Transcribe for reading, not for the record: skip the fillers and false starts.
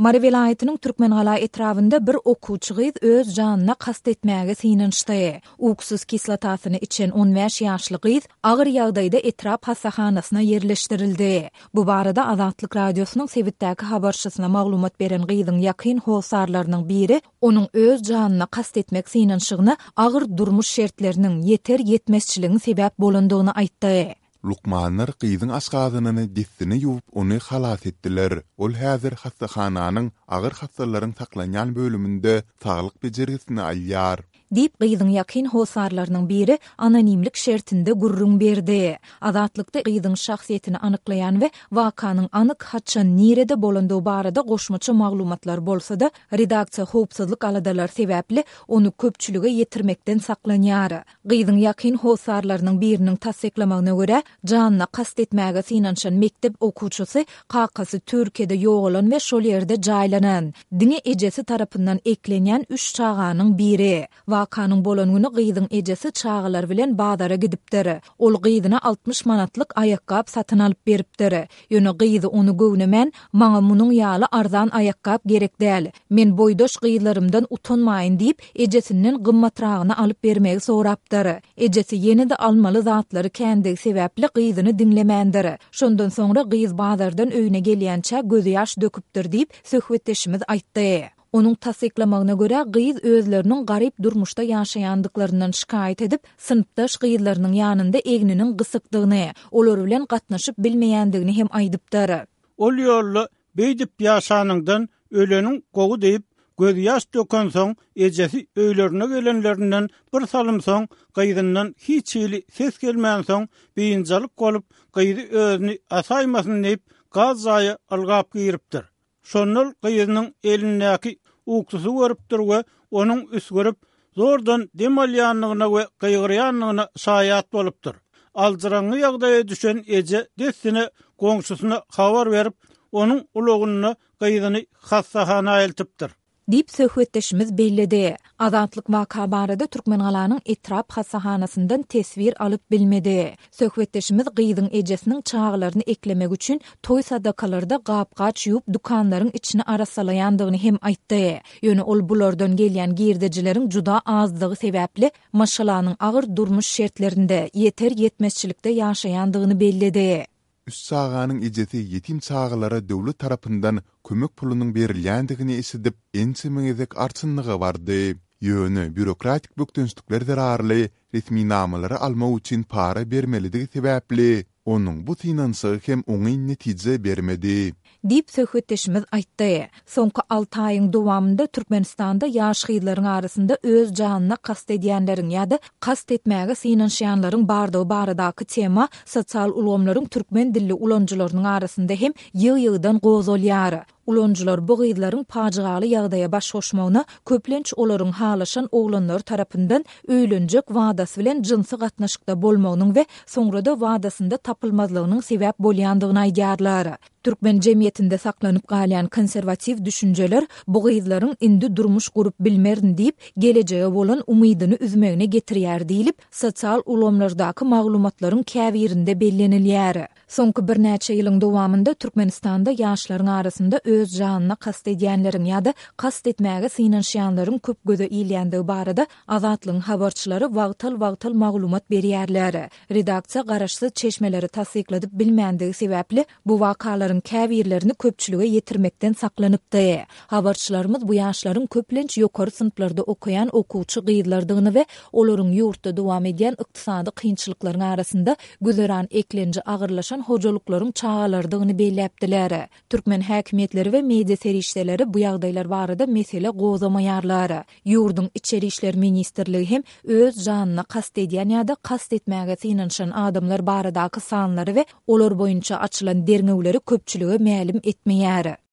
Mary welaýatynyň Türkmengala etrabynda bir okuwçy gyz öz janyna kast etmäge synanyşdy. Uksus kislotasyny içen 15 ýaşly gyz agyr ýagdaýda etrap hassahanasyna ýerleşdirildi. Bu barada Azatlyk Radiosynyň sebitdäki habarçysyna maglumat beren gyzyň ýakyn hossarlarynyň biri onuň öz janyna kast etmek synanyşygyna agyr durmuş şertleriniň, ýeter-ýetmezçiligiň sebäp bolandygyny aýtdy. Lukmanlar gyzyň aşgazanyny dessine ýuwup, ony halas etdiler. Ol häzir hassahananyň agyr hassalaryň saklanýan bölüminde saglyk bejergisini alýar. Diýip, gyzyň ýakyn hossarlarynyň biri anonimlik şertinde gürrüň berdi. Azatlykda gyzyň şahsyýetini anyklaýan we wakanyň anyk haçan, nirede bolandygy barada goşmaça maglumatlar bolsa-da, redaksiýa howpsuzlyk aladalary sebäpli ony köpçülige ýetirmekden saklanýar. Gyzyň ýakyn hossarlarynyň biriniň tassyklamagyna görä, janyna kast etmäge synanyşan mekdep okuwçysy kakasy Türkiýede ýogalan we şol ýerde jaýlanan, diňe ejesi tarapyndan eklenýän üç çaganyň biri. Wakanyň bolan güni gyzyň ejesi çagalary bilen bazara gidipdir. Ol gyzyna 60 manatlyk aýakgap satyn alyp beripdir. Ýöne gyzy ony göwnemän, Maňa munuň ýaly arzan aýakgap gerek däl. Men boýdaş gyzlarymdan utanmaýyn diýip, ejesinden gymmatragyny alyp bermegi sorapdyr. Ejesi ýene-de almaly zatlary kändigi sebäpli gyzyny diňlemändir. Şondan soňra gyz bazardan öýüne gelýänçä gözýaş döküpdir diýip, söhbetdeşimiz aýtdy. Onuň tassyklamagyna görä, gyz özleriniň garyp durmuşda ýaşaýandyklaryndan şikaýat edip, synpdaş gyzlarynyň ýanynda egniniň gysykdygyny, olar bilen gatnaşyp bilmeýändigini hem aýdypdyr. Ol ýolda beýdip ýaşanyňdan öleniň gowy diýip, gözýaş dökensoň, ejesi öýlerine gelenlerinden bir salym soň gyzyndan hiç hili ses gelmänsoň, biynjalyk bolup, gyzy özüni asaýmasyn diýip, gaz jaýa ylgap giripdir. Şonda ol gyzynyň elindäki uksusy görüpdir we onuň üsgürip, zordan dem alýandygyna we gygyrýandygyna şaýat bolupdyr. Aljyraňňy ýagdaýa düşen eje dessine goňşusyna habar berip, onuň ulagynda gyzyny hassahana eltipdir. Diýip, söhbetdeşimiz belledi. Azatlyk waka barada Türkmengalanyň etrap hassahanasyndan teswir alyp bilmedi. Söhbetdeşimiz gyzyň ejesiniň çagalaryny eklemek üçin toý-sadakalarda gap-gaç ýuwup dükanlaryň içini arassalaýandygyny hem aýtdy. Ýöne ol bulardan gelýän girdejileriň juda azdygy sebäpli, maşgalanyň agyr durmuş şertlerinde, ýeter-ýetmezçilikde ýaşaýandygyny belledi. Üç çaganyň ejesi ýetim çagalara döwlet tarapyndan kömek pulunyň berilýändigini eşidip, ençeme gezek arçynlyga bardy. Ýöne býurokratik bökdençlikler zerarly resminamalary almak üçin para bermelidigi sebäpli, onuň bu synanyşygy hem oňyn netije bermedi. Diýip, söhbetdeşimiz aýtdy. Soňky alty aýyň dowamynda Türkmenistanda ýaş gyzlaryň arasynda öz janyna kast edýänleriň ýa-da kast etmäge synanyşýanlaryň bardygy baradaky tema sosial ulgamlaryň türkmen dilli ulanyjylarynyň arasynda hem ýygy-ýygydan gozgalýar. Ulanyjylar bu gyzlaryň pajygaly ýagdaýa baş goşmagyna köplenç olaryň halaşan oglanlary tarapyndan öýlenjek wadasy bilen jynsy gatnaşykda bolmagynyň we soňra-da wadasynda tapylmazlygynyň sebäp bolýandygyny aýdýarlar. Türkmen jemgyýetinde saklanyp galýan konserwatiw düşünjeler bu gyzlaryň indi durmuş gurup bilmerin diýip, gelejege bolan umydyny üzmegine getirýär diýlip, sosial ulgamlardaky maglumatlaryň käbirinde bellenilýär. Soňky birnäçe ýylyň dowamynda Türkmenistanda ýaşlaryň arasynda öz janyna kast edýänleriň ýa-da kast etmäge synanyşýanlaryň köp göze ilýändigi barada Azatlygyň habarçylary wagtal-wagtal maglumat berýärler. Redaksiýa garaşsyz çeşmeleri tassykladyp bilmändigi sebäpli, bu wakalaryň käbirlerini köpçülige ýetirmekden saklanypdy. Habarçylarymyz bu ýaşlaryň köplenç ýokary synplarda okaýan okuwçy gyzlardygyny we olaryň ýurtda dowam edýän ykdysady kynçylyklaryň arasynda güzeran eklenji agyrlaşan hojalyklaryň çagalarydygyny belläpdiler. Türkmen häkimiýetleri we media serişdeleri bu ýagdaýlar barada mesele gozgamaýarlar. Ýurduň Içeri işler ministrligi hem öz janyna kast edýän ýa-da kast etmäge synanyşan adamlar baradaky sanlary we olar boýunça açylan derňewleri köpçülige mälim etmeýär.